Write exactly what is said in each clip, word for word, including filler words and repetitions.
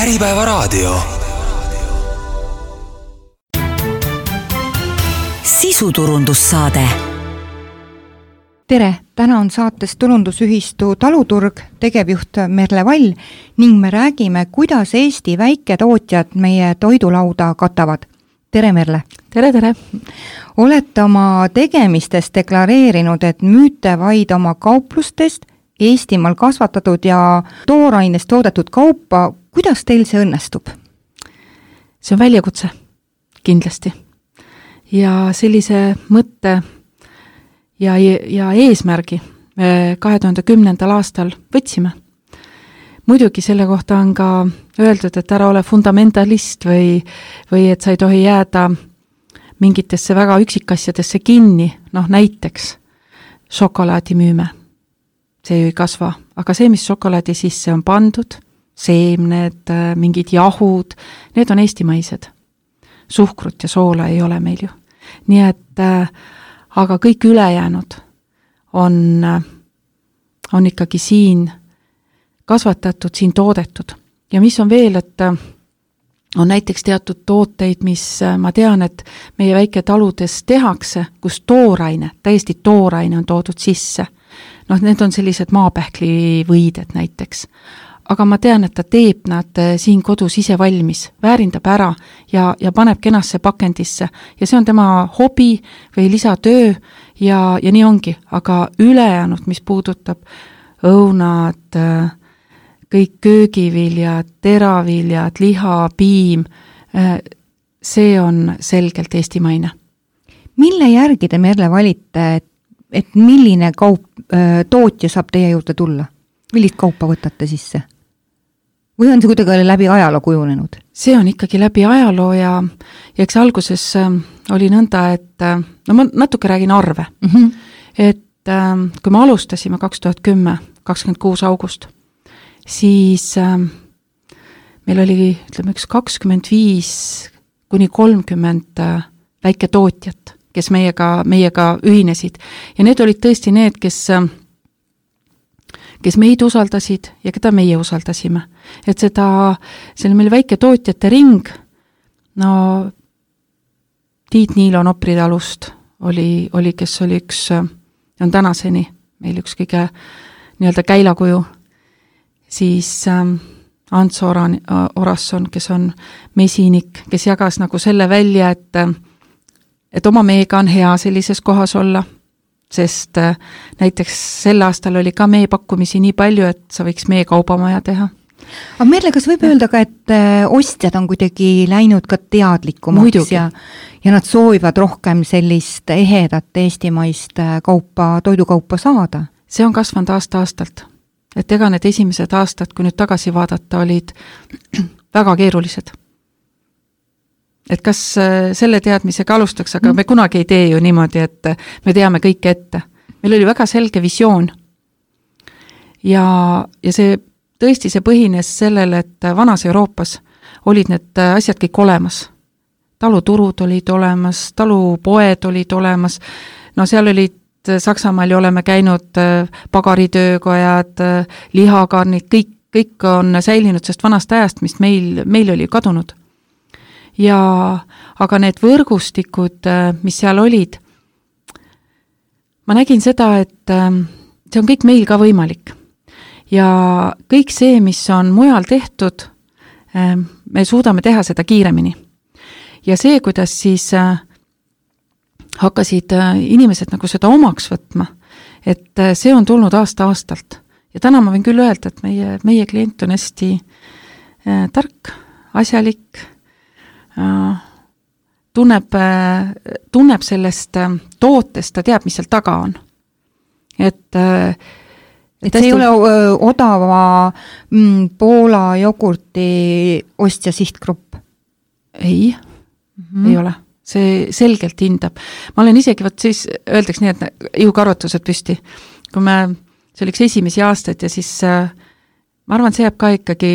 Äripäevaraadio. Sisuturundussaade. Tere, täna on saates tulundusühistu Taluturg, tegevjuht Merle Vall ning me räägime, kuidas Eesti väiketootjad meie toidulauda katavad. Tere, Merle! Tere, tere! Olete oma tegemistes deklareerinud, et müüte vaid oma kauplustest Eestimaal kasvatatud ja toorainest toodetud kaupa. Kuidas teil see õnnestub? See on väljakutse, kindlasti. Ja sellise mõtte ja, ja eesmärgi kahe tuhande kümnendal aastal võtsime. Muidugi selle kohta on ka öeldud, et ära ole fundamentalist või, või et sa ei tohi jääda mingitesse väga üksikasjadesse kinni, noh näiteks šokolaadi müüme. See ju ei kasva, aga see, mis šokolaadi sisse on pandud, seemned, mingid jahud, need on eestimaised. Suhkrut ja soola ei ole meil ju. Nii et, aga kõik ülejäänud on, on ikkagi siin kasvatatud, siin toodetud. Ja mis on veel, et on näiteks teatud tooteid, mis ma tean, et meie väiketaludes tehakse, kus tooraine, täiesti tooraine on toodud sisse. Noh, need on sellised maapähkli võided näiteks. Aga ma tean, et ta teeb nad siin kodus ise valmis, väärindab ära ja, ja paneb kenasse pakendisse. Ja see on tema hobi või lisatöö ja, ja nii ongi. Aga ülejäänud, mis puudutab õunad, kõik köögiviljad, teraviljad, liha, piim, see on selgelt eestimaine. Mille järgi te, Merle, valite, et, et milline kaup, tootja saab teie juurde tulla? Millist kaupa võtate sisse? Või on see kuidagi läbi ajaloo kujunenud? See on ikkagi läbi ajaloo ja, ja eks alguses oli nõnda, et no ma natuke räägin arve. Mm-hmm. Et kui me alustasime kaks tuhat kümme, kakskümmend kuus august, siis meil oli, ütleme, üks kakskümmend viis kuni kolmkümmend väiketootjat, kes meiega, meiega ühinesid. Ja need olid tõesti need, kes kes meid usaldasid ja keda meie usaldasime. Et seda, see oli meil väike tootjate ring, no Tiit Niilo Nopritalust oli, oli, kes oli üks, on tänaseni meil üks kõige nii-öelda käilakuju, siis ähm, Ants Oran, Orasson, kes on mesinik, kes jagas nagu selle välja, et, et oma meega on hea sellises kohas olla, sest näiteks sel aastal oli ka meie pakkumisi nii palju, et sa võiks meie kaubamaja teha. Aga Merle, kas võib öelda ka, et ostjad on kuidagi läinud ka teadlikumaks ja, ja nad soovivad rohkem sellist ehedat eestimaist kaupa, toidukaupa saada? See on kasvanud aasta-aastalt. Et ega need esimesed aastad, kui nüüd tagasi vaadata, olid väga keerulised. Et kas selle teadmisega alustaks, aga me kunagi ei tee ju niimoodi, et me teame kõike ette. Meil oli väga selge visioon. Ja, ja see tõesti see põhines sellele, et vanas Euroopas olid need asjad kõik olemas. Taluturud olid olemas, talupoed olid olemas. No seal olid Saksamaal ju oleme käinud pagaritöökojad, lihakarnid, kõik, kõik on säilinud sest vanast ajast, mis meil, meil oli kadunud. Ja, aga need võrgustikud, mis seal olid, ma nägin seda, et see on kõik meil ka võimalik. Ja kõik see, mis on mujal tehtud, me suudame teha seda kiiremini. Ja see, kuidas siis hakkasid inimesed nagu seda omaks võtma, et see on tulnud aasta-aastalt. Ja täna ma võin küll öelda, et meie, meie klient on hästi tark, asjalik, tunneb, tunneb sellest tootest, ta teab, mis seal taga on. Et, et, et see ei ole odava mm, Poola jogurti ostja sihtgrupp? Ei, mm-hmm. ei ole. See selgelt hindab. Ma olen isegi, võt siis öeldaks nii, et jõukarvatused püsti. Kui me, see oli üks esimesi aastaid ja siis ma arvan, see jääb ka ikkagi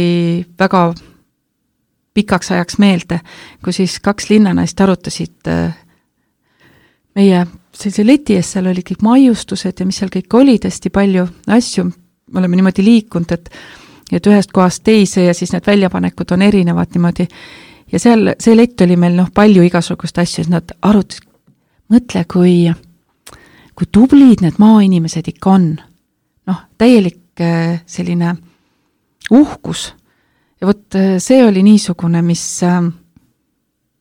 väga pikaks ajaks meelde, kui siis kaks linnanaist arutasid meie sellise leti ees, seal oli kõik maiustused ja mis seal kõik oli, hästi palju asju, me oleme niimoodi liikunud, et et ühest kohast teise ja siis need väljapanekud on erinevad niimoodi. Ja seal, see lett oli meil noh, palju igasugust asju, et nad arutas, mõtle, kui, kui tublid need maainimesed ikka on. Noh, täielik selline uhkus. Ja võt see oli niisugune, mis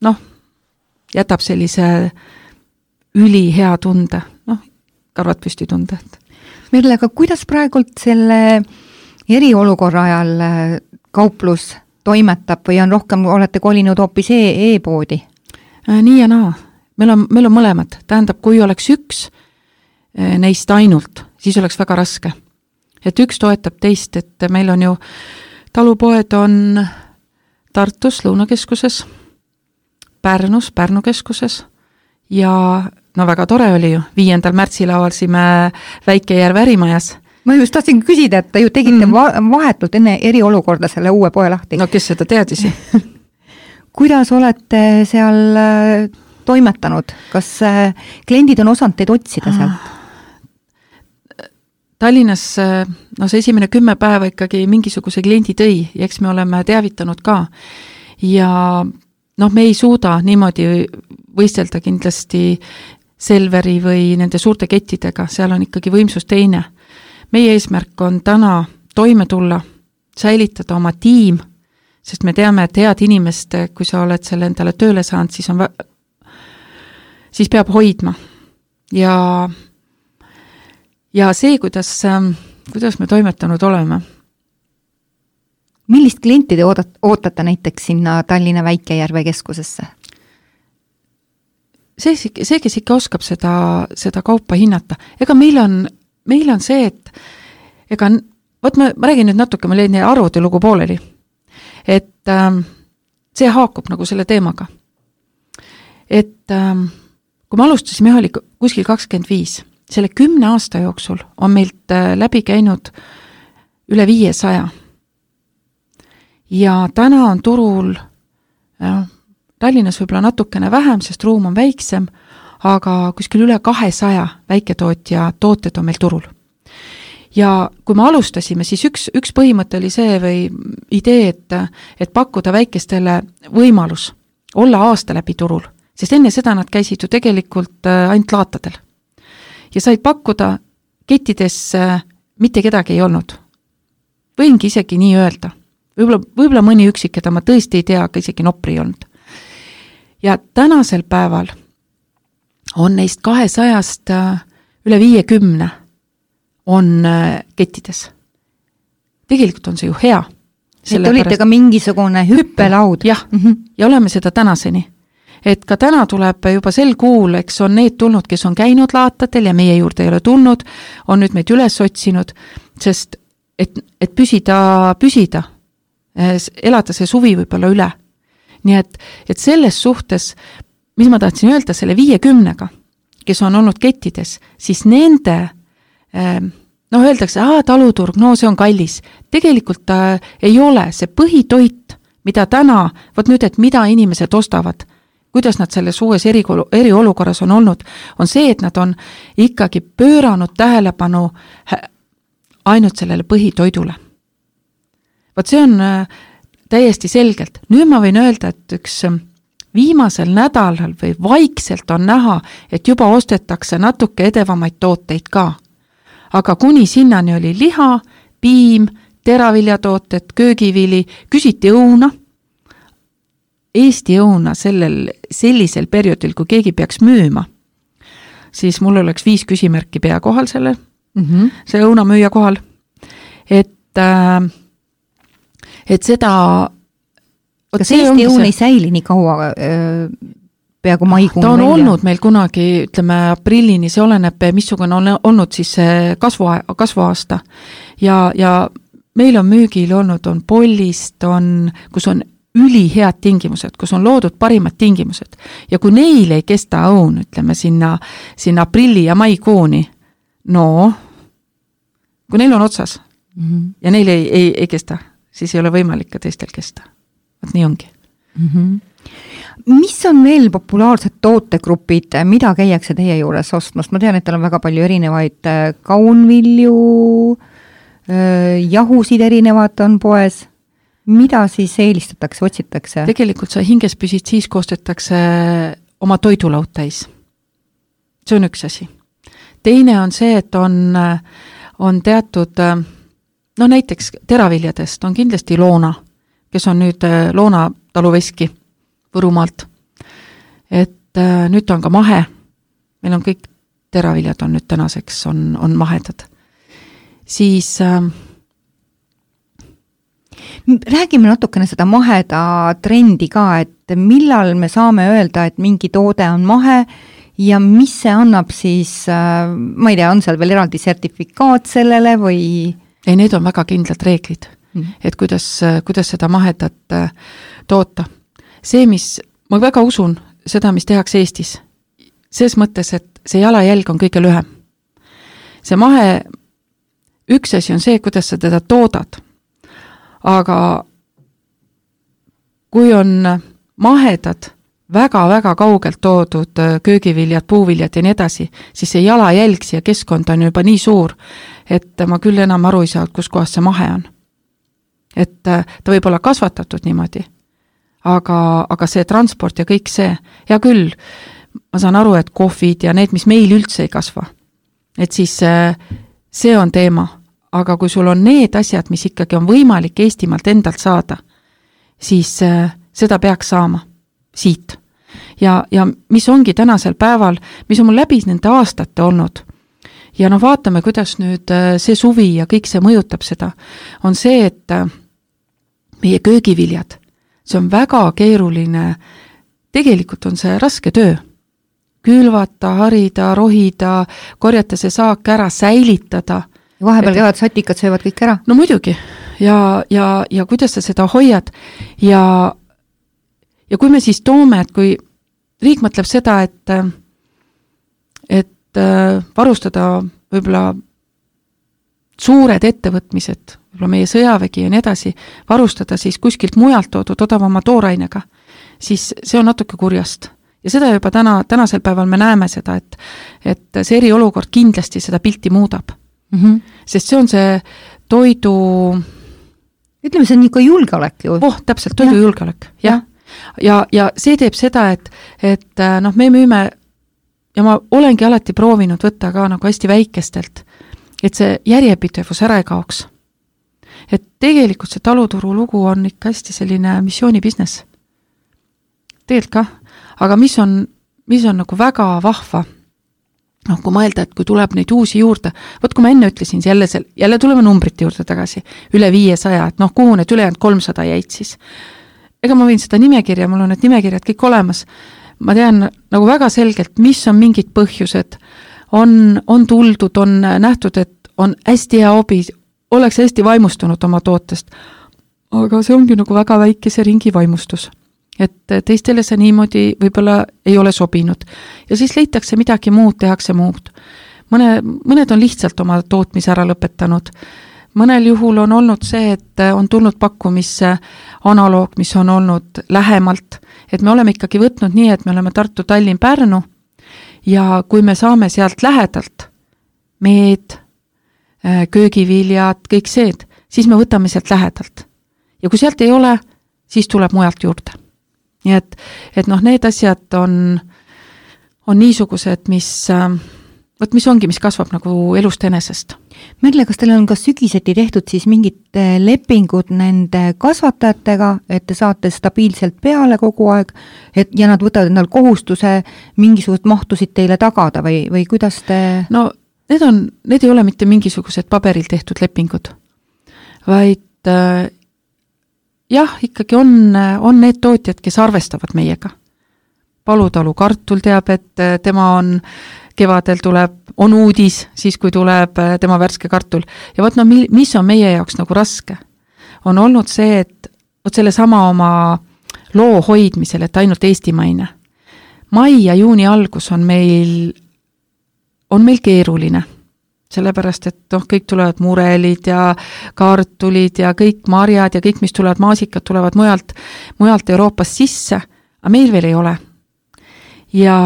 noh, jätab sellise üli hea tunde, noh, karvad püsti tunde. Merle, aga kuidas praegult selle eriolukorra ajal kauplus toimetab või on rohkem, olete kolinud hoopis e e-poodi? Nii ja naa. Meil on, meil on mõlemad. Tähendab, kui oleks üks neist ainult, siis oleks väga raske. Et üks toetab teist, et meil on ju talupoed on Tartus Lõunakeskuses, Pärnus Pärnu keskuses ja no väga tore oli ju, viiendal märtsil avaldasime Väike-Järve ärimajas. Ma just tahtsin küsida, et te ju tegite mm. vahetult enne eriolukorda selle uue poe lahti. No kes seda teadisi? Kuidas olete seal toimetanud? Kas kliendid on osanud teid otsida sealt? Tallinnas no see esimene kümme päeva ikkagi mingisuguse kliendi tõi ja eks me oleme teavitanud ka. Ja noh, me ei suuda niimoodi võistelda kindlasti Selveri või nende suurte kettidega, seal on ikkagi võimsus teine. Meie eesmärk on täna toime tulla, säilitada oma tiim, sest me teame, et head inimest, kui sa oled selle endale tööle saanud, siis, on, siis peab hoidma. Ja, ja see, kuidas, kuidas me toimetanud oleme. Millist klienti te ootate näiteks sinna Tallinna Väike-Järve keskusesse? See, see, kes ikka oskab seda, seda kaupa hinnata. Ega meil on, meil on see, et ega, võt ma, ma räägin nüüd natuke, ma leidin arvuti lugu pooleli. Et ähm, see haakub nagu selle teemaga. Et ähm, kui ma alustasin, me oli kuskil kakskümmend viis. Selle kümne aasta jooksul on meilt äh, läbi käinud üle viiesaja. Ja täna on turul äh, Tallinnas võib-olla natukene vähem, sest ruum on väiksem, aga kuskil üle kahesaja väiketootja tooted on meil turul. Ja kui me alustasime, siis üks, üks põhimõte oli see või idee, et, et pakkuda väikestele võimalus olla aasta läbi turul, sest enne seda nad käisid ju tegelikult ainult laatadel. Ja said pakkuda kettides mitte kedagi ei olnud. Võingi isegi nii öelda. Võib-olla, võib-olla mõni üksik, keda ma tõesti ei tea, aga isegi nopri ei olnud. Ja tänasel päeval on neist kahesajast üle viiekümne on kettides. Tegelikult on see ju hea. Et olite pärast... ka mingisugune hüppelaud. Jah, mm-hmm. Ja oleme seda tänaseni. Et ka täna tuleb juba sel kuul, eks on need tulnud, kes on käinud laatatel ja meie juurde ei ole tulnud, on nüüd meid üles otsinud, sest et, et püsida, püsida, elada see suvi võib-olla üle. Nii et, et selles suhtes, mis ma tahtsin öelda selle viiekümnega, kes on olnud kettides, siis nende, noh öeldakse, aa, taluturg, no see on kallis. Tegelikult ta ei ole see põhitoit, mida täna, võt nüüd, et mida inimesed ostavad, kuidas nad selles uues eri, eriolukorras on olnud, on see, et nad on ikkagi pööranud tähelepanu ainult sellele põhitoidule. Võt see on täiesti selgelt. Nüüd ma võin öelda, et üks viimasel nädalal või vaikselt on näha, et juba ostetakse natuke edevamaid tooteid ka. Aga kuni sinnani oli liha, piim, teraviljatooted, köögivili, küsiti õuna. Eesti õuna sellel, sellisel perioodil, kui keegi peaks müüma, siis mul oleks viis küsimärki pea kohal selle, mm-hmm. see õuna müüja kohal. Et äh, et seda kas Eesti õun ei säili nii kaua öö, peaaegu maikuun ta on välja? Olnud meil kunagi, ütleme aprillini, see oleneb, missugune on olnud siis kasvu, kasvuaasta ja, ja meil on müügil olnud, on pollist, on, kus on ülihead tingimused, kus on loodud parimad tingimused ja kui neil ei kesta õun, ütleme sinna, sinna aprilli ja maikuuni, no kui neil on otsas mm-hmm. ja neil ei, ei, ei kesta siis ei ole võimalik ka teistel kesta. Võt nii ongi. Mm-hmm. Mis on veel populaarsed tootegrupid, mida käiakse teie juures ostmas? Ma tean, et teil on väga palju erinevaid kaunvilju, jahusid erinevad on poes, mida siis eelistatakse, otsitakse? Tegelikult sa hinges püsid siis, kui ostetakse oma toidulaud täis. See on üks asi. Teine on see, et on, on teatud, no näiteks teraviljadest on kindlasti Loona, kes on nüüd Loona taluveski Võrumaalt. Et nüüd on ka mahe. Meil on kõik teraviljad on nüüd tänaseks on, on mahedad. Siis äh, räägime natukene seda maheda trendi ka, et millal me saame öelda, et mingi toode on mahe ja mis see annab siis, äh, ma ei tea, on seal veel eraldi sertifikaat sellele või? Ei, need on väga kindlad reeglid, mm. et kuidas, kuidas seda mahedat äh, toota. See, mis, ma väga usun seda, mis tehakse Eestis, selles mõttes, et see jalajälg on kõige lühem. See mahe, üks asi on see, kuidas sa teda toodad, aga kui on mahedad, väga-väga kaugelt toodud köögiviljad, puuviljad ja nii edasi, siis see jalajälg siia keskkond on juba nii suur, et ma küll enam aru ei saa, kus kohas see mahe on. Et ta võib olla kasvatatud niimoodi, aga, aga see transport ja kõik see, ja küll, ma saan aru, et kohvid ja need, mis meil üldse ei kasva, et siis see on teema, aga kui sul on need asjad, mis ikkagi on võimalik Eestimaalt endalt saada, siis seda peaks saama siit. Ja, ja mis ongi tänasel päeval, mis on mul läbi nende aastate olnud, ja noh, vaatame, kuidas nüüd see suvi ja kõik see mõjutab seda, on see, et meie köögiviljad, see on väga keeruline, tegelikult on see raske töö, külvata, harida, rohida, korjata see saak ära, säilitada. Vahepeal et... käivad satikad, söövad kõik ära. No muidugi, ja, ja, ja kuidas sa seda hoiad, ja Ja kui me siis toome, et kui riik mõtleb seda, et, et varustada võib-olla suured ettevõtmised, võib-olla meie sõjavägi ja nii edasi, varustada siis kuskilt mujalt toodud odavama toorainega, siis see on natuke kurjast. Ja seda juba täna, tänasel päeval me näeme seda, et, et see eriolukord kindlasti seda pilti muudab. Mm-hmm. Sest see on see toidu... Ütleme, see on niisugune julgeolek ju. Oh, täpselt, toidu ja. julgeolek, jah. Ja. Ja, ja see teeb seda, et, et noh, me müüme, ja ma olengi alati proovinud võtta ka nagu hästi väikestelt, et see järjepidevus ära ei kaoks. Et tegelikult see taluturu lugu on ikka hästi selline missioonibusiness. Tegelikult ka, aga mis on, mis on nagu väga vahva, noh, kui mõelda, et kui tuleb neid uusi juurde, võt kui ma enne ütlesin, jälle, jälle tuleme numbrite juurde tagasi, üle viiesaja, et noh, kuhu need ülejäänud kolmsada jäid siis. Ega ma võin seda nimekirja, mul on need nimekirjad kõik olemas. Ma tean nagu väga selgelt, mis on mingid põhjused. On, on tuldud, on nähtud, et on hästi hea hobi, oleks hästi vaimustunud oma tootest. Aga see ongi nagu väga väikese ringi vaimustus. Et teistele see niimoodi võib-olla ei ole sobinud. Ja siis leitakse midagi muud, tehakse muud. Mõne, mõned on lihtsalt oma tootmise ära lõpetanud. Mõnel juhul on olnud see, et on tulnud pakkumisse analoog, mis on olnud lähemalt, et me oleme ikkagi võtnud nii, et me oleme Tartu, Tallinn, Pärnu ja kui me saame sealt lähedalt meed, köögiviljad, kõik seed, siis me võtame sealt lähedalt. Ja kui sealt ei ole, siis tuleb mujalt juurde. Nii et, et noh, need asjad on, on niisugused, mis... Võt, mis ongi, mis kasvab nagu elust enesest. Merle, kas teil on ka sügiseti tehtud siis mingid lepingud nende kasvatajatega, et te saate stabiilselt peale kogu aeg et, ja nad võtavad endal kohustuse mingisugused mahtusid teile tagada või, või kuidas te... No need, on, need ei ole mitte mingisugused paberil tehtud lepingud, vaid äh, jah, ikkagi on, on need tootjad, kes arvestavad meiega. Palutalu Kartul teab, et tema on kevadel tuleb, on uudis, siis kui tuleb tema värske kartul. Ja võt, no mis on meie jaoks nagu raske? On olnud see, et võt selle sama oma loo hoidmisel, et ainult eestimaine. Mai ja juuni algus on meil, on meil keeruline. Sellepärast, et noh, kõik tulevad murelid ja kartulid ja kõik marjad ja kõik, mis tulevad maasikad, tulevad mujalt, mujalt Euroopast sisse, aga meil veel ei ole. Ja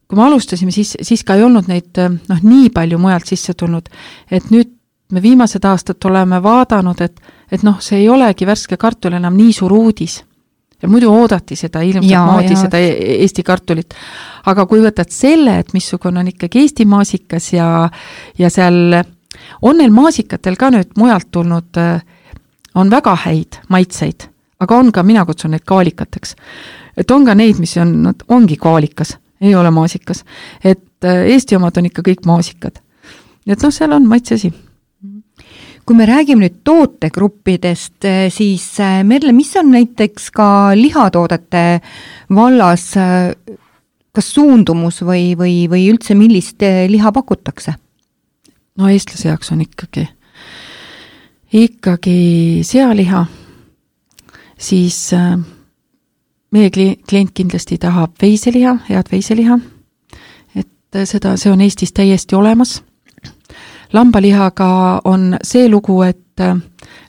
kui kui me alustasime, siis, siis ka ei olnud neid noh, nii palju mujalt sisse tulnud, et nüüd me viimased aastad oleme vaadanud, et, et noh, see ei olegi värske kartul enam nii suur uudis. Ja muidu oodati seda ilmselt moodi, seda Eesti kartulit. Aga kui võtad selle, et missugune on ikkagi Eesti maasikas ja, ja seal on neil maasikatel ka nüüd mujalt tulnud, on väga häid maitseid, aga on ka, mina kutsun neid kaalikateks. Et on ka neid, mis on, ongi kaalikas, ei ole maasikas. Et Eesti omad on ikka kõik maasikad. Et noh, seal on maitsesi. Kui me räägime nüüd tootegruppidest, siis Merle, mis on näiteks ka lihatoodete vallas, kas suundumus või, või, või üldse millist liha pakutakse? No eestlase jaoks on ikkagi, ikkagi sealiha, siis meie klient kindlasti tahab veiseliha, head veiseliha, et seda, see on Eestis täiesti olemas. Lambalihaga on see lugu, et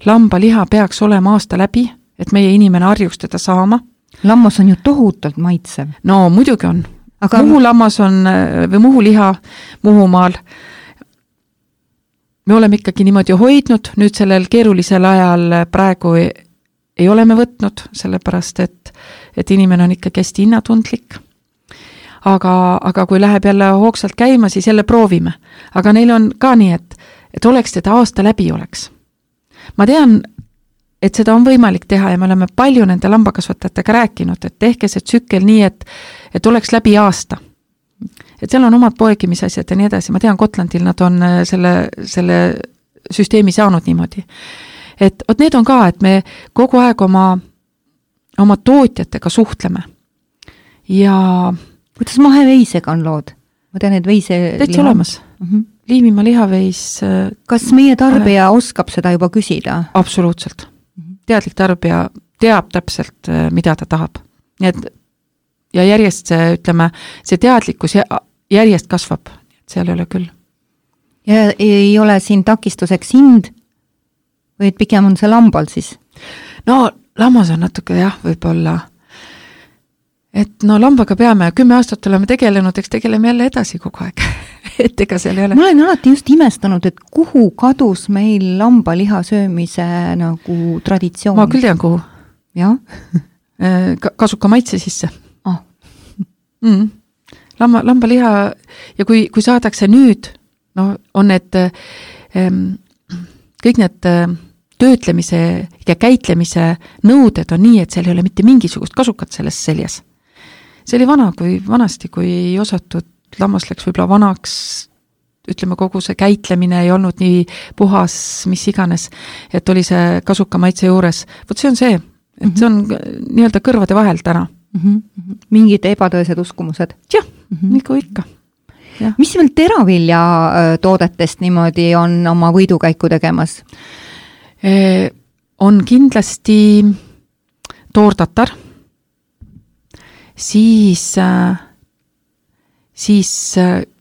lambaliha peaks olema aasta läbi, et meie inimene harjuks teda saama. Lammas on ju tohutult maitsev. No muidugi on. Aga... Muhu lammas on, või muhuliha Muhumaal. Me oleme ikkagi niimoodi hoidnud, nüüd sellel keerulisel ajal praegu ei, ei ole me võtnud, sellepärast, et, et inimene on ikkagi hästi hinnatundlik. Aga, aga kui läheb jälle hoogsalt käima, siis jälle proovime. Aga neil on ka nii, et, et oleks teda aasta läbi oleks. Ma tean, et seda on võimalik teha ja me oleme palju nende lambakasvatajatega rääkinud, et tehke see tsükkel nii, et, et oleks läbi aasta. Et seal on omad poegimisasjad ja nii edasi. Ma tean, Gotlandil nad on selle, selle süsteemi saanud niimoodi. Et oot, need on ka, et me kogu aeg oma, oma tootjatega suhtleme. Ja kuidas maheveisega on lood? Ma tean, et veise täitsa liha... olemas. Uh-huh. Liimimaa lihaveis... Kas meie tarbija uh, oskab seda juba küsida? Absoluutselt. Uh-huh. Teadlik tarbija teab täpselt, mida ta tahab. Nii et, ja järjest see, ütleme, see teadlikkus järjest kasvab. Seal ei ole küll. Ja ei ole siin takistuseks hind? Või et pigem on see lambal siis? No, lammas on natuke jah, võib-olla... Et no lambaga peame, kümme aastat oleme tegelenud, eks tegeleme jälle edasi kogu aeg. Et ega seal ei ole. Ma olen alati just imestanud, et kuhu kadus meil lambaliha söömise nagu traditsioon? Ma küll tean, kuhu. Jah? Kasuka maitse sisse. Ah. Mm. Lamba, lambaliha, ja kui, kui saadakse nüüd, no on need ähm, kõik need äh, töötlemise ja käitlemise nõuded on nii, et seal ei ole mitte mingisugust kasukat selles seljas. See oli vana, kui vanasti, kui ei osatud, lammas läks võib-olla vanaks, ütleme, kogu see käitlemine ei olnud nii puhas, mis iganes, et oli see kasuka maitse juures. Võt see on see, et see on nii-öelda kõrvade vahel täna. Mm-hmm. Mingid ebatõesed uskumused. Jah, mm-hmm. Nagu ikka. Ja. Mis veel teravilja toodetest niimoodi on oma võidukäiku tegemas? E, on kindlasti toortatar, siis, siis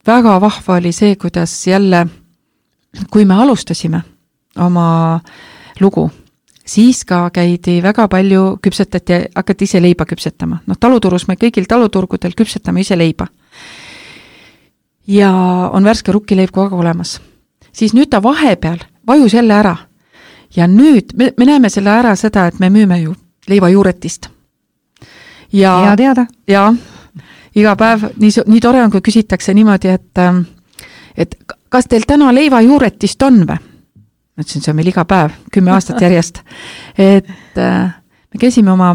väga vahva oli see, kuidas jälle, kui me alustasime oma lugu, siis ka käidi väga palju küpsetati, hakati ise leiba küpsetama. No taluturus me kõigil taluturgudel küpsetame ise leiba. Ja on värske rukkileib kogu olemas. Siis nüüd ta vahepeal vajus jälle ära. Ja nüüd me, me näeme selle ära seda, et me müüme ju leiva juuretist. Ja, ja teada. Ja, iga päev nii, nii tore on, kui küsitakse niimoodi, et, et kas teil täna leiva juuretist on või? Mõtlesin, see on meil iga päev, kümme aastat järjest. Et me käisime oma,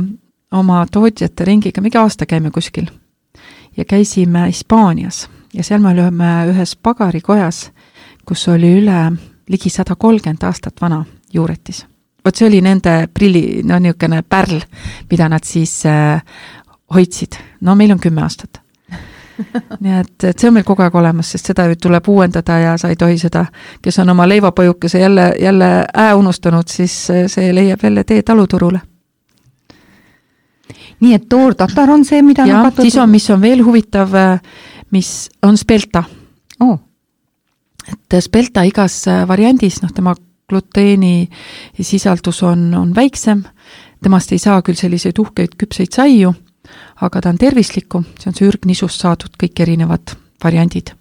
oma tootjate ringiga, mingi aasta käime kuskil ja käisime Hispaanias ja seal me olime ühes pagarikojas, kus oli üle ligi sada kolmkümmend aastat vana juuretis. Vot see oli nende prilli, no niisugune pärl, mida nad siis äh, hoidsid. No meil on kümme aastat. Nii et, et see on meil kogu aeg olemas, sest seda tuleb uuendada ja sa ei tohi seda, kes on oma leivapõjukese jälle, jälle ää unustanud, siis see leiab jälle tee taluturule. Nii et toortatar on see, mida ja, nakatud... siis on, mis on veel huvitav, mis on spelta. Oh. Et spelta igas variandis, noh, tema gluteeni sisaldus on, on väiksem, temast ei saa küll selliseid uhkeid küpseid saiu, aga ta on tervislikum, see on see ürgnisust saadud kõik erinevad variandid.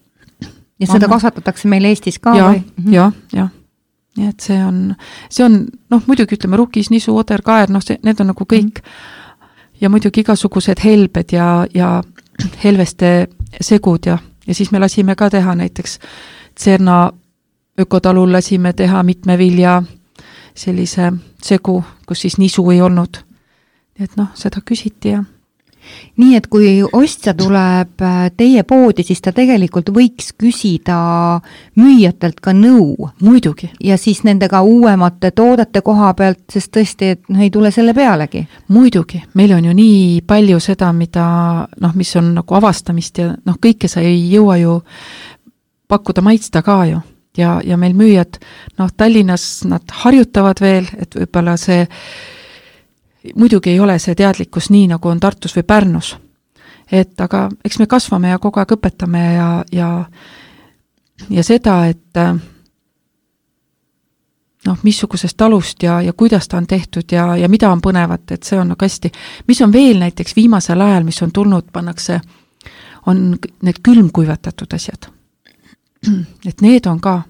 Ja seda Mamma. kasvatatakse meil Eestis ka? Ja, või? ja, ja. Nii et see on, see on, noh, muidugi ütleme rukis, nisu, oder, kaer, noh, see, need on nagu kõik mm. ja muidugi igasugused helbed ja, ja helveste segud ja, ja siis me lasime ka teha näiteks Tserna ökotalul lasime teha mitme vilja sellise segu, kus siis nisu ei olnud. Nii et noh, seda küsiti ja nii, et kui ostja tuleb teie poodi, siis ta tegelikult võiks küsida müüjatelt ka nõu. Muidugi. Ja siis nendega uuemate toodete koha pealt, sest tõesti, et noh, ei tule selle pealegi. Muidugi. Meil on ju nii palju seda, mida, noh, mis on nagu avastamist ja noh, kõike sa ei jõua ju pakkuda maitsta ka ju. Ja, ja meil müüjad, noh, Tallinnas nad harjutavad veel, et võibolla see muidugi ei ole see teadlikkus nii, nagu on Tartus või Pärnus. Et aga eks me kasvame ja kogu aeg õpetame ja, ja, ja seda, et noh, missugusest talust ja, ja kuidas ta on tehtud ja, ja mida on põnevat, et see on nagu hästi. Mis on veel näiteks viimasel ajal, mis on tulnud, pannakse, on need külmkuivatatud asjad. Et need on ka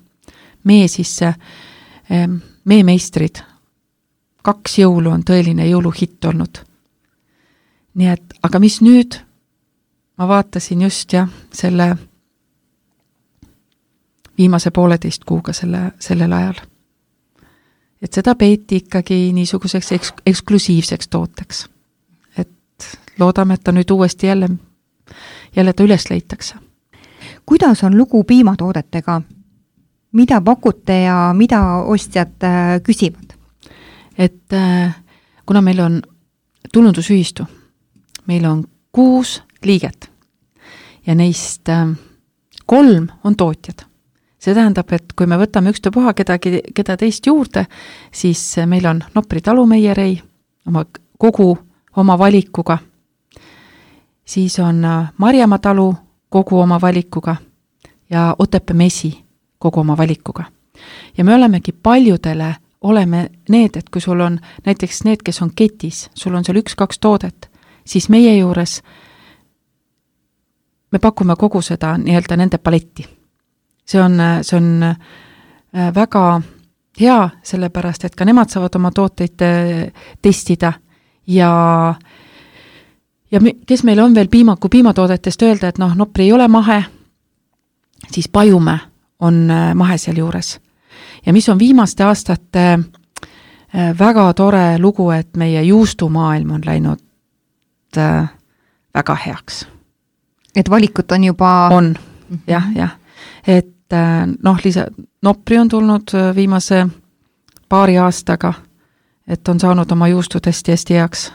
mee sisse, mee meistrid, kaks jõulu on tõeline jõuluhitt olnud. Nii et, aga mis nüüd? Ma vaatasin just jah, selle viimase pooleteist kuuga selle, sellel ajal. Et seda peeti ikkagi niisuguseks eks, eksklusiivseks tooteks. Et loodame, et ta nüüd uuesti jälle, jälle ta üles leitakse. Kuidas on lugu piimatoodetega? Mida pakute ja mida ostjad küsivad? Et kuna meil on tulundusühistu, meil on kuus liiget ja neist kolm on tootjad. See tähendab, et kui me võtame ükstapuha kedagi, keda teist juurde, siis meil on Nopri talumeierei oma, kogu oma valikuga. Siis on Marjamaa talu kogu oma valikuga ja Otepää mesi kogu oma valikuga. Ja me olemegi paljudele oleme need, et kui sul on näiteks need, kes on ketis, sul on seal üks-kaks toodet, siis meie juures me pakume kogu seda nii-öelda nende paletti. See on, see on väga hea, sellepärast, et ka nemad saavad oma tooteid testida ja, ja me, kes meil on veel piima, kui piimatoodetest öelda, et noh, Nopri ei ole mahe, siis Pajumäe on mahe seal juures. Ja mis on viimaste aastate väga tore lugu, et meie juustumaailm on läinud väga heaks. Et valikut on juba... On, mm-hmm. jah, jah. Et noh, lisa, Nopri on tulnud viimase paari aastaga, et on saanud oma juustud hästi, hästi heaks.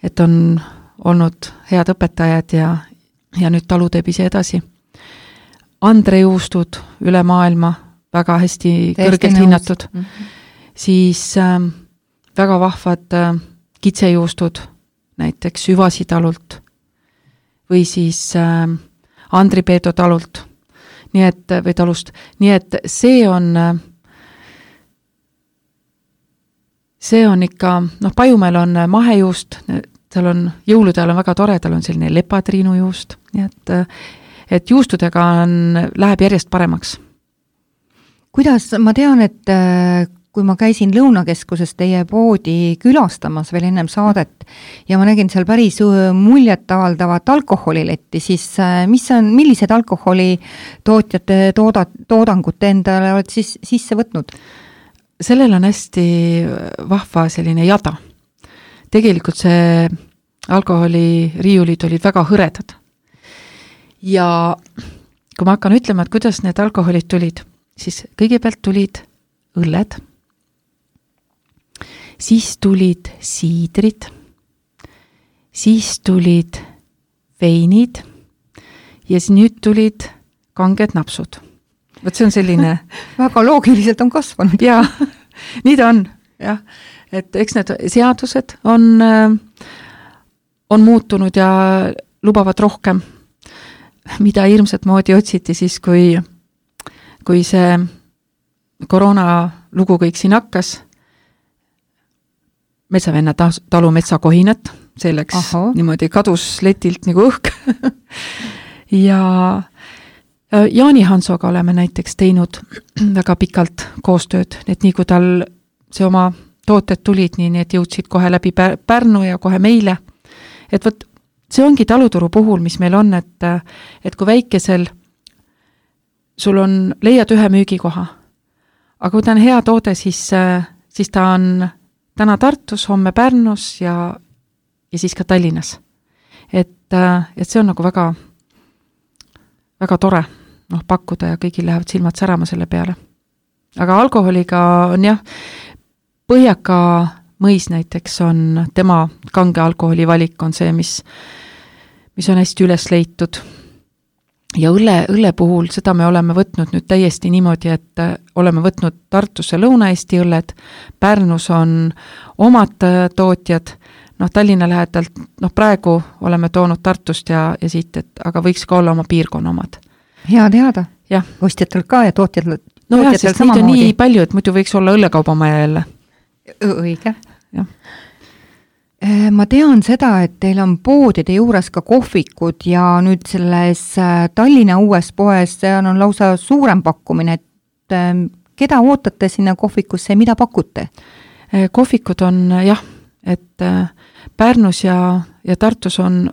Et on olnud head õpetajad ja, ja nüüd talu teeb ise edasi. Andre juustud üle maailma väga hästi Teesti kõrgelt hinnatud. Mm-hmm. Siis äh, väga vahvad äh, kitsejuustud, näiteks Süvasi talult või siis äh, Andri Peeto talult. Nii et, või talust. Nii et see on äh, see on ikka, noh, Pajumäel on mahejuust, tal on jõulude ajal on väga tore, tal on selline lepatriinujuust. Nii et, et juustudega on, läheb järjest paremaks. Kuidas, ma tean, et kui ma käisin Lõunakeskuses teie poodi külastamas veel ennem saadet ja ma nägin seal päris muljet avaldavat alkoholiletti, siis mis on, millised alkoholi tootjate tooda, toodangut endale oled siis sisse võtnud? Sellel on hästi vahva selline jada. Tegelikult see alkoholi riiulid olid väga hõredad. Ja kui ma hakkan ütlema, et kuidas need alkoholid tulid, siis kõigepealt tulid õlled, siis tulid siidrid, siis tulid veinid ja siis nüüd tulid kanged napsud. Võt see on selline... väga loogiliselt on kasvanud. Jaa, nii ta on. Jah. Et eks need seadused on, on muutunud ja lubavad rohkem, mida hirmsat moodi otsiti siis, kui kui see koroona lugu kõik siin hakkas, metsavenna talu metsakohinat see läks Aha. niimoodi, kadus letilt nagu õhk. ja Jaani Hansoga oleme näiteks teinud väga pikalt koostööd, et nii kui tal see oma tooted tulid, nii need jõudsid kohe läbi Pärnu ja kohe meile. Et võt, see ongi taluturu puhul, mis meil on, et, et kui väikesel sul on, leiad ühe müügikoha, aga kui ta on hea toode, siis, siis ta on täna Tartus, homme Pärnus ja, ja siis ka Tallinnas. Et, et see on nagu väga, väga tore noh, pakkuda ja kõigil lähevad silmad särama selle peale. Aga alkoholiga on jah, Põhjaka mõis näiteks on tema kange alkoholi valik on see, mis, mis on hästi üles leitud. Ja õlle, õlle puhul seda me oleme võtnud nüüd täiesti niimoodi, et oleme võtnud Tartusse Lõuna-Eesti õlled, Pärnus on omad tootjad, noh Tallinna lähedalt, noh praegu oleme toonud Tartust ja, ja siit, et, aga võiks ka olla oma piirkonna omad. Hea teada. Ja. Ostjatel ka ja tootjatel, no tootjatel jah, sest samamoodi. neid on nii palju, et muidu võiks olla õllekaubamaja jälle. Õige. Jah. Ma tean seda, et teil on poodide juures ka kohvikud ja nüüd selles Tallinna uues poes on lausa suurem pakkumine, et keda ootate sinna kohvikusse ja mida pakute? Kohvikud on jah, et Pärnus ja, ja Tartus on,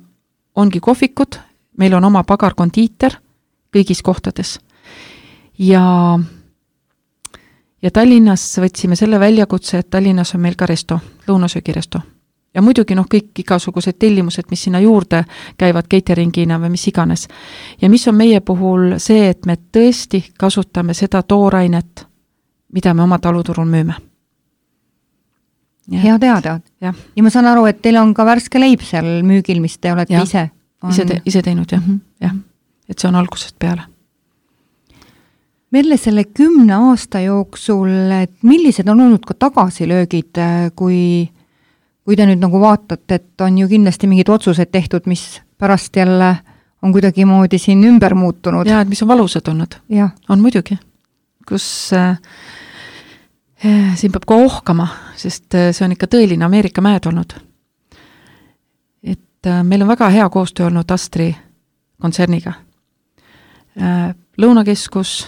ongi kohvikud, meil on oma pagarkondiiter kõigis kohtades ja ja Tallinnas võtsime selle väljakutse, et Tallinnas on meil ka resto, lõunasöögiresto. Ja muidugi noh, kõik igasugused tellimused, mis sinna juurde käivad cateringina või mis iganes. Ja mis on meie puhul see, et me tõesti kasutame seda toorainet, mida me oma taluturul müüme. Ja, Hea teada. Ja. ja ma saan aru, et teil on ka värske leib seal müügil, mis te olete ja. ise. On... Ise, te, ise teinud, jah. Mm -hmm. jah. Et see on algusest peale. Merle, selle kümne aasta jooksul, et millised on olnud ka tagasilöögid, kui, kui te nüüd nagu vaatate, et on ju kindlasti mingid otsused tehtud, mis pärast jälle on kuidagi moodi siin ümber muutunud? Ja, et mis on valusad olnud. Ja. On muidugi. Kus äh, siin peab ka ohkama, sest see on ikka tõeline Ameerika mäed olnud. Et äh, meil on väga hea koostöö olnud Astri kontserniga. Äh, Lõunakeskus,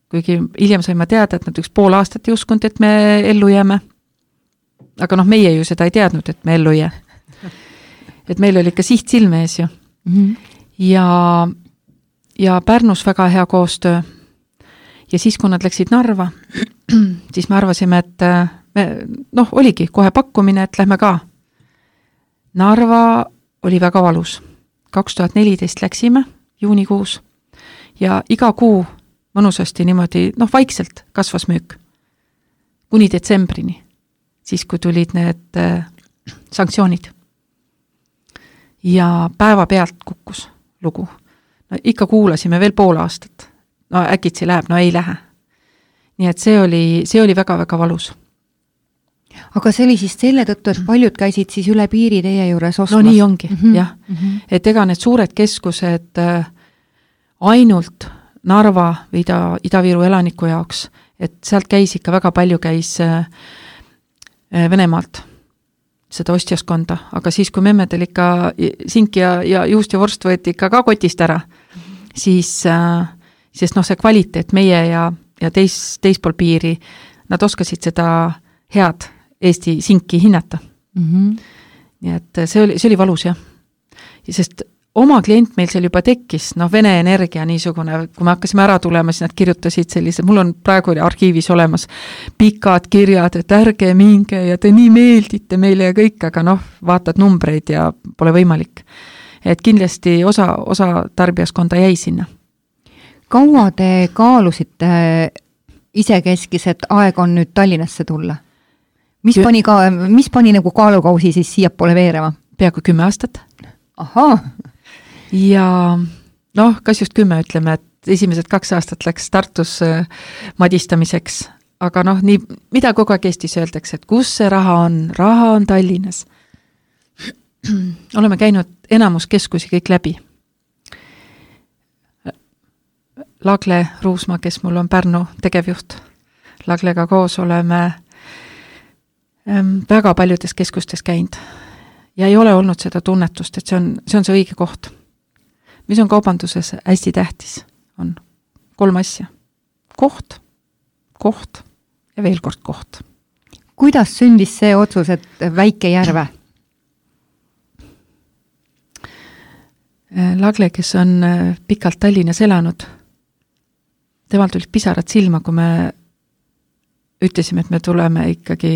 kuigi hiljem saime teada, et nad üks pool aastat ei uskunud, et me ellu jääme. Aga noh, meie ju seda ei teadnud, et me ellu jää. Et meil oli ikka siht silme ees ju. Mm-hmm. Ja, ja Pärnus väga hea koostöö. Ja siis, kui nad läksid Narva, siis me arvasime, et me, noh, oligi kohe pakkumine, et lähme ka. Narva oli väga valus. kaks tuhat neliteist läksime juunikuus ja iga kuu mõnusasti niimoodi, noh, vaikselt kasvas müük. Kuni detsembrini, siis kui tulid need äh, sanktsioonid. Ja päeva pealt kukkus lugu. No ikka kuulasime veel pool aastat. No äkitsi läheb, no ei lähe. Nii et see oli, see oli väga-väga valus. Aga see oli siis selle tõttu, et paljud käisid siis üle piiri teie juures ostmas? No nii ongi, mm -hmm. jah. Mm -hmm. Et ega need suured keskused äh, ainult Narva või Ida, Ida-Viru elaniku jaoks, et sealt käis ikka väga palju käis äh, Venemaalt seda ostjaskonda, aga siis, kui memmedel ikka sink ja, ja juust ja vorst võeti ikka ka kotist ära, mm -hmm. siis, äh, sest noh, see kvaliteet meie ja, ja teis, teispool piiri, nad oskasid seda head Eesti sinki hinnata. Mm -hmm. Nii et see oli, see oli valus, jah. Sest oma klient meil seal juba tekkis, noh, Vene Energia niisugune, kui me hakkasime ära tulema, siis nad kirjutasid sellise, mul on praegu arhiivis olemas pikad kirjad, et ärge minge ja te nii meeldite meile ja kõik, aga noh, vaatad numbreid ja pole võimalik. Et kindlasti osa, osa tarbijaskonda jäi sinna. Kaua te kaalusite isekeskis, et aeg on nüüd Tallinnasse tulla? Mis pani, ka, mis pani nagu kaalukausi siis siiapoole veerema? Peaaegu kümme aastat. Ahaa. Ja noh, kas just kümme ütleme, et esimesed kaks aastat läks Tartus madistamiseks, aga noh, nii, mida kogu aeg Eestis öeldakse, et kus see raha on? Raha on Tallinnas. Oleme käinud enamus keskusi kõik läbi. Lagle Ruusma, kes mul on Pärnu tegevjuht. Laglega koos oleme väga paljudes keskustes käinud. ja ei ole olnud seda tunnetust, et see on, see on see õige koht. Mis on kaubanduses hästi tähtis, on kolm asja. Koht, koht ja veel kord koht. Kuidas sündis see otsus, et Väike Järve? Lagle, kes on pikalt Tallinnas elanud, temal tulid pisarad silma, kui me ütlesime, et me tuleme ikkagi,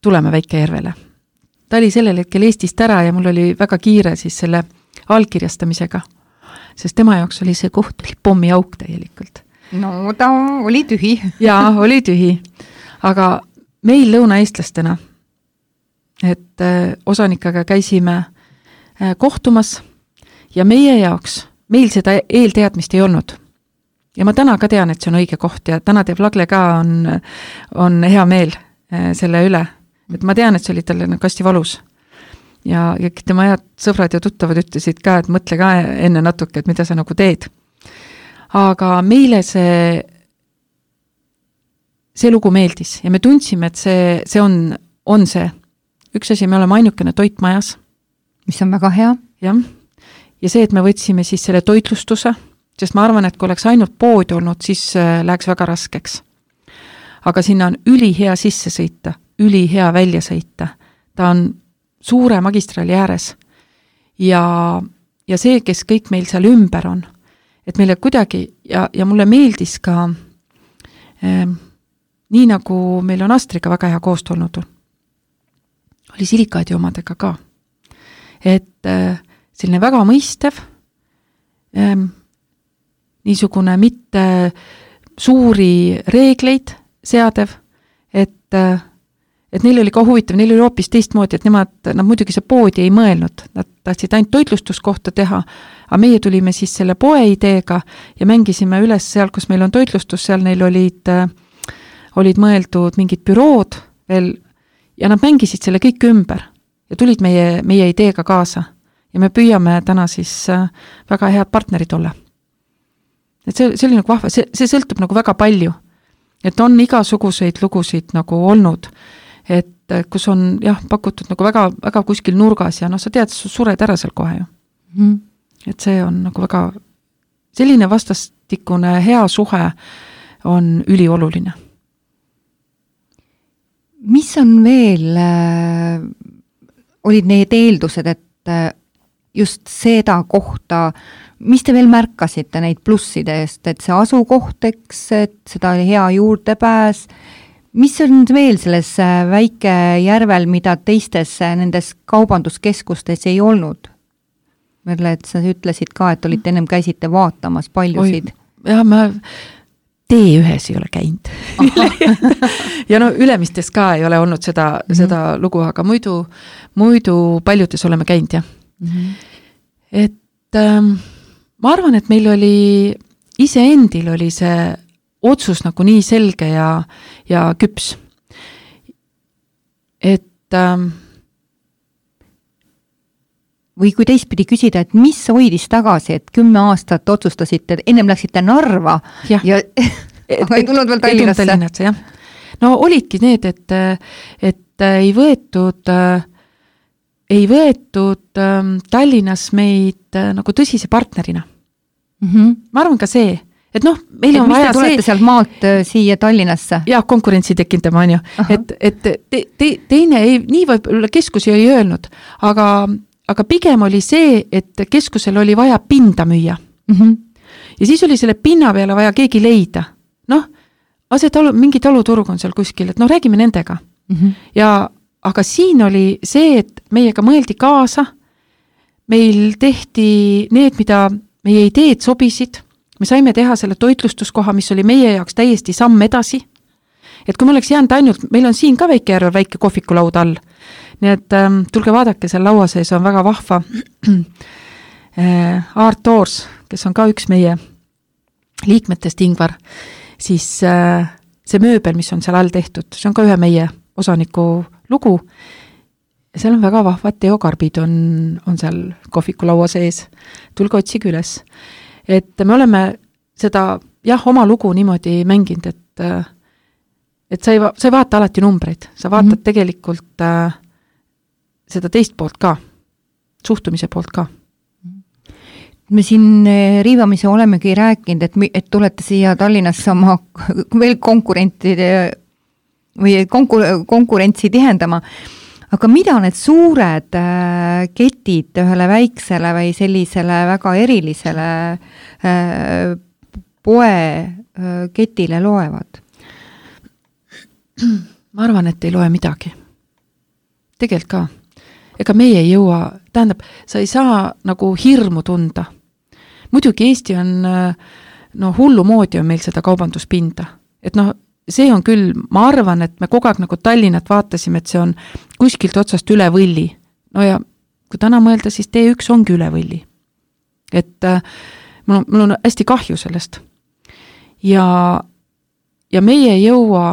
tuleme Väike Järvele. Ta oli sellel hetkel Eestist ära ja mul oli väga kiire siis selle allkirjastamisega, sest tema jaoks oli see koht, oli pommiauk täielikult. No ta oli tühi. Jaa, oli tühi. Aga meil lõunaeestlastena, et osanikega käisime kohtumas ja meie jaoks, meil seda eelteadmist ei olnud. Ja ma täna ka tean, et see on õige koht ja täna teeb Lagle ka on, on hea meel selle üle. Et ma tean, et see oli talle nagu hästi valus. Ja, ja tema head sõbrad ja tuttavad ütlesid ka, et mõtle ka enne natuke, et mida sa nagu teed. Aga meile see see lugu meeldis ja me tundsime, et see, see on, on see. Üks asi, me oleme ainukene toit majas. Mis on väga hea. Jah. Ja see, et me võtsime siis selle toitlustuse, sest ma arvan, et kui oleks ainult pood olnud, siis läheks väga raskeks. Aga sinna on ülihea sisse sõita, ülihea välja sõita. Ta on suure magistraali ääres. Ja, ja see, kes kõik meil seal ümber on, et meile kuidagi, ja, ja mulle meeldis ka ähm, nii nagu meil on Astriga väga hea koost olnud, oli silikaadi omadega ka. Et äh, selline väga mõistev, ähm, niisugune mitte suuri reegleid seadev, et, äh, et neil oli ka huvitav, neil oli hoopis teistmoodi, et nemad, nad muidugi see poodi ei mõelnud, nad tahtsid ainult toitlustuskohta teha, aga meie tulime siis selle poe ideega ja mängisime üles seal, kus meil on toitlustus, seal neil olid äh, olid mõeldud mingid bürood veel ja nad mängisid selle kõik ümber ja tulid meie, meie ideega kaasa ja me püüame täna siis väga head partnerid olla. Et see, see oli nagu vahva, see, see sõltub nagu väga palju, et on igasuguseid lugusid nagu olnud, et kus on jah, pakutud nagu väga, väga kuskil nurgas ja noh, sa tead, sa sured ära seal kohe ju. Mm. Et see on nagu väga, selline vastastikune hea suhe on ülioluline. Mis on veel, äh, olid need eeldused, et äh, just seda kohta, mis te veel märkasite neid plusside eest, et see asukohteks, et seda oli hea juurdepääs, mis on veel selles Väike Järvel, mida teistes nendes kaubanduskeskustes ei olnud? Merle, et sa ütlesid ka, et olite ennem käisite vaatamas paljusid. Oi, jah, ma tee ühes ei ole käinud. ja no ülemistes ka ei ole olnud seda, mm-hmm. seda lugu, aga muidu, muidu paljudes oleme käinud, jah. Mm-hmm. Et ähm, ma arvan, et meil oli, iseendil oli see otsus nagu nii selge ja, ja küps. Et ähm, või kui teistpidi küsida, et mis hoidis tagasi, et kümme aastat otsustasite, ennem läksite Narva ja, ja aga ei tulnud veel Tallinnasse. Tallinnasse jah. No olidki need, et, et ei võetud, ei võetud Tallinnas meid nagu tõsise partnerina. Mm-hmm. Ma arvan ka see, et noh, meil et on vaja see... tulete sealt maalt siia Tallinnasse? Jah, konkurentsi tekindama on ju. Et, et te, te, teine, ei, nii võib keskusi ei öelnud, aga aga pigem oli see, et keskusel oli vaja pinda müüa. Mm-hmm. Ja siis oli selle pinna peale vaja keegi leida. Noh, see talu, mingi taluturg on seal kuskil, et noh, räägime nendega. Mm-hmm. Ja, aga siin oli see, et meiega mõeldi kaasa, meil tehti need, mida meie ideed sobisid, me saime teha selle toitlustuskoha, mis oli meie jaoks täiesti samm edasi. Et kui me oleks jäänud ainult, meil on siin ka Väike Järvel väike kohvikulaud all, nii et ähm, tulge vaadake, seal laua sees on väga vahva Art Toors, kes on ka üks meie liikmetest Ingvar, siis äh, see mööbel, mis on seal all tehtud, see on ka ühe meie osaniku lugu. Seal on väga vahvad teokarbid on, on seal kohvikulaua sees. Tulge otsige üles. Et me oleme seda, jah, oma lugu niimoodi mänginud, et äh, et sa ei, sa ei vaata alati numbreid, sa vaatad mm-hmm. tegelikult äh, seda teist poolt ka, suhtumise poolt ka. Me siin riivamise olemegi rääkinud, et, et tulete siia Tallinnasse oma veel konkurentide või konkur, konkurentsi tihendama. Aga mida need suured ketid ühele väiksele või sellisele väga erilisele poe ketile loevad? Ma arvan, et ei loe midagi. Tegelikult ka. Ega meie ei jõua, tähendab, sa ei saa nagu hirmu tunda. Muidugi Eesti on, no hullu moodi on meil seda kaubanduspinda. Et noh, see on küll, ma arvan, et me kogu aeg nagu Tallinnat vaatasime, et see on kuskilt otsast üle võlli. No ja kui täna mõelda, siis tee üks ongi üle võlli. Et äh, mul, on, mul on hästi kahju sellest. Ja, ja meie ei jõua,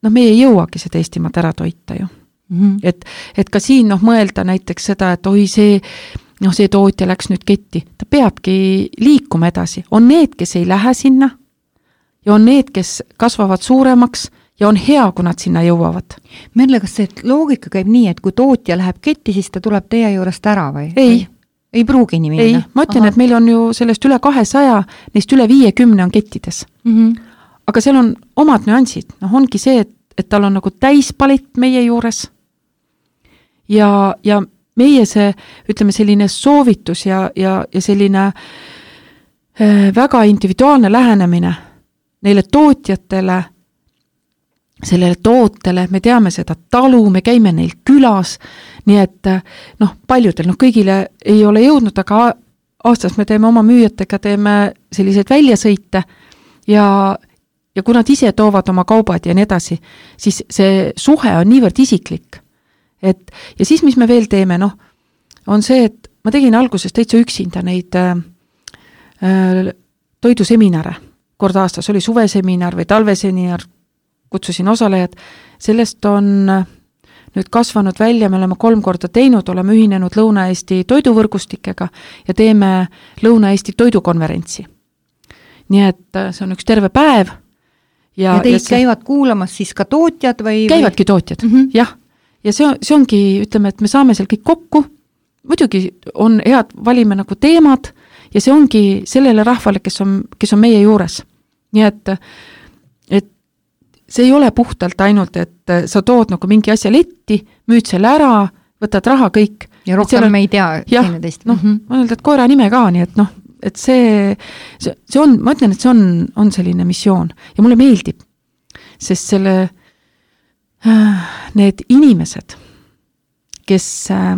noh, meie ei jõuagi seda Eestimaad ära toita ju. Mm-hmm. Et, et ka siin noh, mõelda näiteks seda, et oi see, noh, see tootja läks nüüd ketti. Ta peabki liikuma edasi. On need, kes ei lähe sinna ja on need, kes kasvavad suuremaks ja on hea, kui nad sinna jõuavad. Merle, kas see loogika käib nii, et kui tootja läheb ketti, siis ta tuleb teie juurest ära või? Ei. Ei pruugi nii minna? Ei, ma ütlen, Aha. et meil on ju sellest üle kahesaja, neist üle viiekümne on kettides. Mm-hmm. Aga seal on omad nüansid. Noh, ongi see, et, et tal on nagu täispalit meie juures ja, ja meie see, ütleme, selline soovitus ja, ja, ja selline äh, väga individuaalne lähenemine neile tootjatele, sellele tootele, me teame seda talu, me käime neil külas, nii et noh, paljudel, noh kõigile ei ole jõudnud, aga aastas me teeme oma müüjatega, teeme selliseid väljasõite ja, ja kui nad ise toovad oma kaubad ja nii edasi, siis see suhe on niivõrd isiklik. Et, ja siis, mis me veel teeme, noh, on see, et ma tegin alguses täitsa üksinda neid äh, äh, toiduseminare. Kord aastas oli suveseminar või talveseminar, kutsusin osalejad. Sellest on nüüd kasvanud välja, me oleme kolm korda teinud, oleme ühinenud Lõuna-Eesti toiduvõrgustikega ja teeme Lõuna-Eesti toidukonverentsi. Nii et see on üks terve päev. Ja, ja teid ja see... käivad kuulamas siis ka tootjad või? Käivadki tootjad, mm-hmm. jah. Ja see on, see ongi, ütleme, et me saame seal kõik kokku, muidugi on head, valime nagu teemad ja see ongi sellele rahvale, kes on, kes on meie juures. Nii et, et see ei ole puhtalt ainult, et sa tood nagu mingi asja letti, müüd selle ära, võtad raha kõik. Ja rohkem on, me ei tea. Jah, noh, mm-hmm. ma öelda, et koera nime ka, nii et noh, et see, see, see on, ma ütlen, et see on, on selline missioon ja mulle meeldib, sest selle need inimesed, kes äh,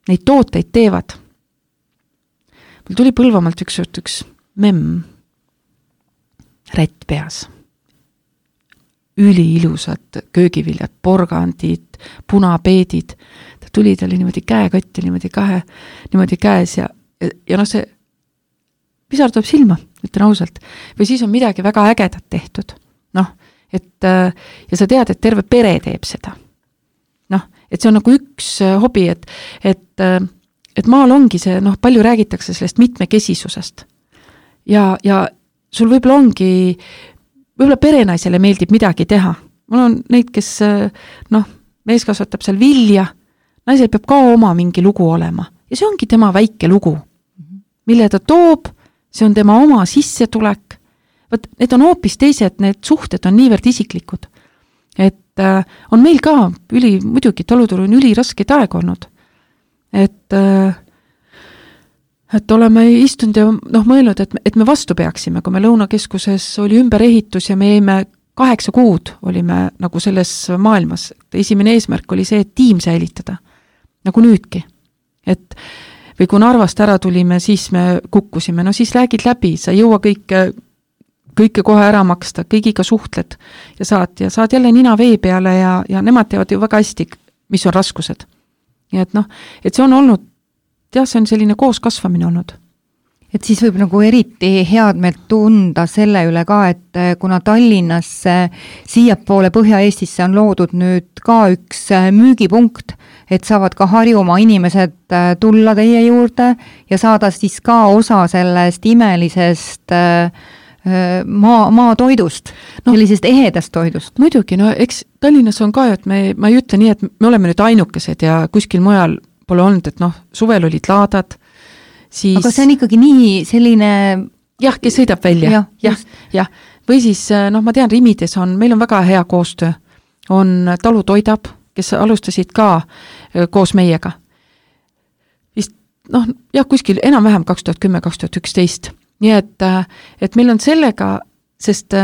neid tooteid teevad. Mul tuli Põlvamaalt üks, üks memm, rätt peas. Üli ilusad köögiviljad, porgandid, punapeedid. Ta tuli talle niimoodi käekotti, niimoodi kahe, niimoodi käes ja, ja, ja noh, see pisar tuleb silma, ütlen ausalt. Või siis on midagi väga ägedat tehtud. Noh, et ja sa tead, et terve pere teeb seda. Noh, et see on nagu üks hobi, et, et, et maal ongi see, noh, palju räägitakse sellest mitmekesisusest. Ja, ja sul võib-olla ongi, võib-olla perenaisele meeldib midagi teha. Mul on neid, kes, noh, mees kasvatab seal vilja, naisel peab ka oma mingi lugu olema. Ja see ongi tema väike lugu, mille ta toob, see on tema oma sissetulek. Võt, need on hoopis teised, need suhted on niivõrd isiklikud. Et äh, on meil ka üli, muidugi taluturu on üli raskeid aeg olnud. Et, äh, et oleme istunud ja noh, mõelnud, et, et me vastu peaksime, kui me Lõunakeskuses oli ümberehitus ja me jäime kaheksa kuud olime nagu selles maailmas. Esimene eesmärk oli see, et tiim säilitada. Nagu nüüdki. Et või kui Narvast ära tulime, siis me kukkusime. No siis räägid läbi, sa ei jõua kõike kõike kohe ära maksta, kõigiga suhtled ja saad, ja saad jälle nina vee peale ja, ja nemad teavad ju väga hästi, mis on raskused. Ja et noh, et see on olnud, jah, see on selline koos kasvamine olnud. Et siis võib nagu eriti head meelt tunda selle üle ka, et kuna Tallinnasse siiapoole Põhja-Eestisse on loodud nüüd ka üks müügipunkt, et saavad ka Harjumaa inimesed tulla teie juurde ja saada siis ka osa sellest imelisest maa, maatoidust no,, sellisest ehedast toidust. Muidugi, no eks Tallinnas on ka, et me, ma ei ütle nii, et me oleme nüüd ainukesed ja kuskil mujal pole olnud, et noh, suvel olid laadad, siis... Aga see on ikkagi nii selline... Jah, kes sõidab välja. Jah, jah, jah. Või siis, noh, ma tean, Rimides on, meil on väga hea koostöö. On Talu Toidab, kes alustasid ka koos meiega. Vist, noh, jah, kuskil enam-vähem kaks tuhat kümme kaks tuhat üksteist. Nii et, et meil on sellega, sest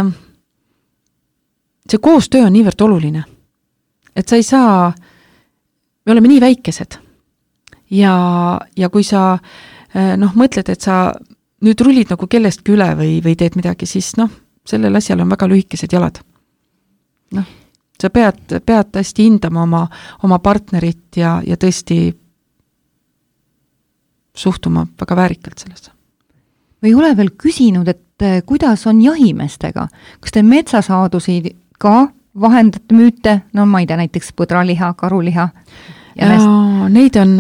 see koostöö on niivõrd oluline. Et sa ei saa, me oleme nii väikesed. Ja, ja kui sa, noh, mõtled, et sa nüüd rullid nagu kellestki üle või, või teed midagi, siis noh, sellel asjal on väga lühikesed jalad. Noh, sa pead, pead hästi hindama oma, oma partnerit ja, ja tõesti suhtuma väga väärikalt sellesse. Või ei ole veel küsinud, et kuidas on jahimeestega? Kas te metsasaadusi ka vahendate müüte? No ma ei tea, näiteks põdraliha, karuliha. Ja neid on,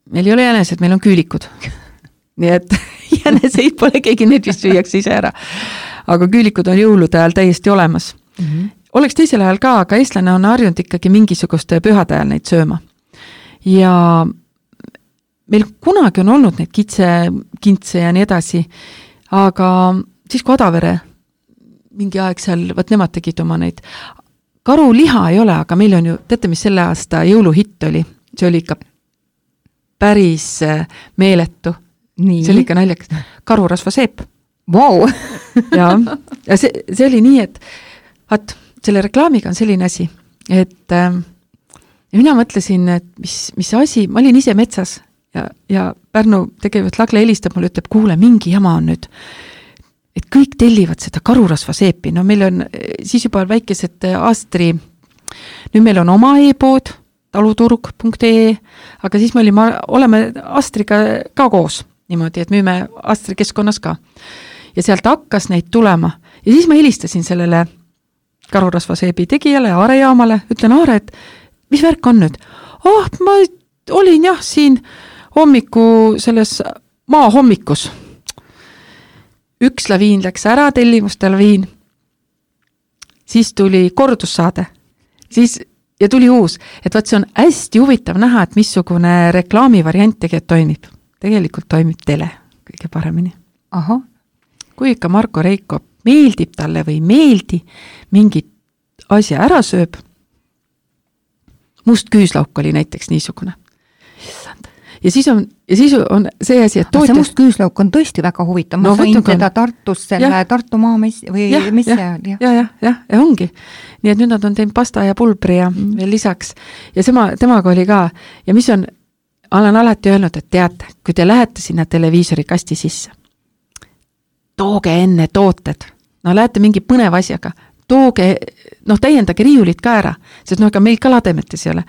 meil ei ole jänesed, meil on küülikud. Nii et jäneseid pole keegi, need vist süüakse ise ära. Aga küülikud on jõulude ajal täiesti olemas. Mm-hmm. Oleks teisel ajal ka, aga eestlane on harjunud ikkagi mingisuguste pühade ajal neid sööma. Ja meil kunagi on olnud neid kitse, kintse ja nii edasi, aga siis kui Adavere mingi aeg seal, võt nemad tegid oma neid. Karuliha ei ole, aga meil on ju, teate, mis selle aasta jõuluhitt oli? See oli ikka päris meeletu. Nii. See oli ikka naljakas. Karurasva seep. Vau! Wow. ja, ja see, see oli nii, et vaat, selle reklaamiga on selline asi, et äh, mina mõtlesin, et mis, mis asi, ma olin ise metsas ja, ja Pärnu tegelikult Lagle helistab mulle, ütleb, kuule, mingi jama on nüüd, et kõik tellivad seda karurasva seepi. No meil on siis juba väikesed Astri, nüüd meil on oma e-pood, taluturg punkt ee, aga siis me olime, oleme Astriga ka koos. Niimoodi, et müüme Astri keskkonnas ka. Ja sealt hakkas neid tulema. Ja siis ma helistasin sellele karurasvaseebi tegijale ja Aare jaamale. Ütlen, Aare, et mis värk on nüüd? Oh, ma olin jah siin hommiku selles maa hommikus. Üks laviin läks ära, tellimuste laviin. Siis tuli kordussaade. Siis, ja tuli uus. Et vaat see on hästi huvitav näha, et missugune reklaamivariant tegelikult toimib. Tegelikult toimib tele kõige paremini. Aha. Kui ikka Marko Reiko meeldib talle või meeldi mingit asja ära sööb, must küüslauk oli näiteks niisugune. Ja siis on, ja siis on see asi, et tootja... see must küüslauk on tõesti väga huvitav. Ma no, sain seda Tartus, selle ja. Tartu maa mes... või ja, mis ja, see oli? Ja, ja, ja, ja ongi. Nii et nüüd nad on teinud pasta ja pulbri ja mm. veel lisaks. Ja sema, temaga oli ka. Ja mis on, olen alati öelnud, et teate, kui te lähete sinna televiisori kasti sisse, tooge enne tooted. No lähete mingi põnev asjaga. Tooge, noh täiendage riiulit ka ära, sest noh, ega meil ka lademetes ei ole.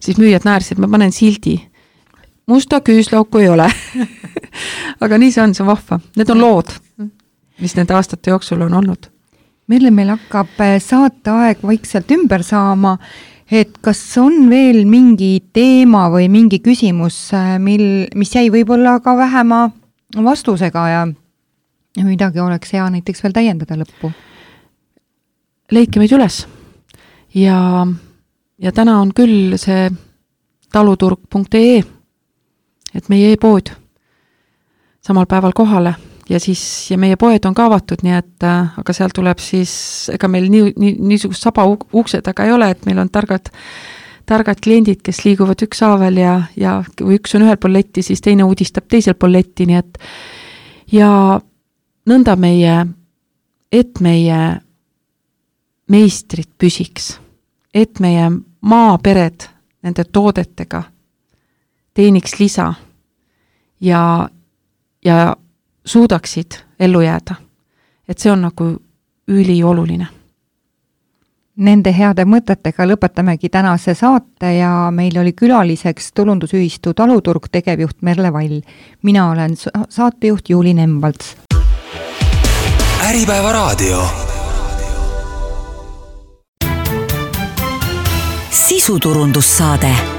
Siis müüjad naersid, ma panen sildi. Musta küüslauku ei ole. Aga nii see on, see on vahva. Need on lood, mis nende aastate jooksul on olnud. Meile meil hakkab saateaeg vaikselt ümber saama, et kas on veel mingi teema või mingi küsimus, mil, mis jäi võib-olla ka vähema vastusega ja midagi oleks hea näiteks veel täiendada lõppu? Leidke meid üles. Ja, ja täna on küll see taluturg punkt ee, et meie e-pood samal päeval kohale ja siis, ja meie poed on ka avatud, nii et, aga seal tuleb siis, ega meil nii, nii, niisugust saba ukse taga ei ole, et meil on targad, targad kliendid, kes liiguvad üks haavel ja, ja kui üks on ühel pool letti, siis teine uudistab teisel pool letti, nii et ja nõnda meie, et meie meistrid püsiks, et meie maapered nende toodetega teeniks lisa ja, ja suudaksid ellu jääda. Et see on nagu ülioluline. Nende heade mõtetega lõpetamegi tänase saate ja meil oli külaliseks tulundusühistu Taluturg tegevjuht Merle Vall. Mina olen saatejuht Juuli Nemvalts. Äripäeva raadio. Sisuturundussaade.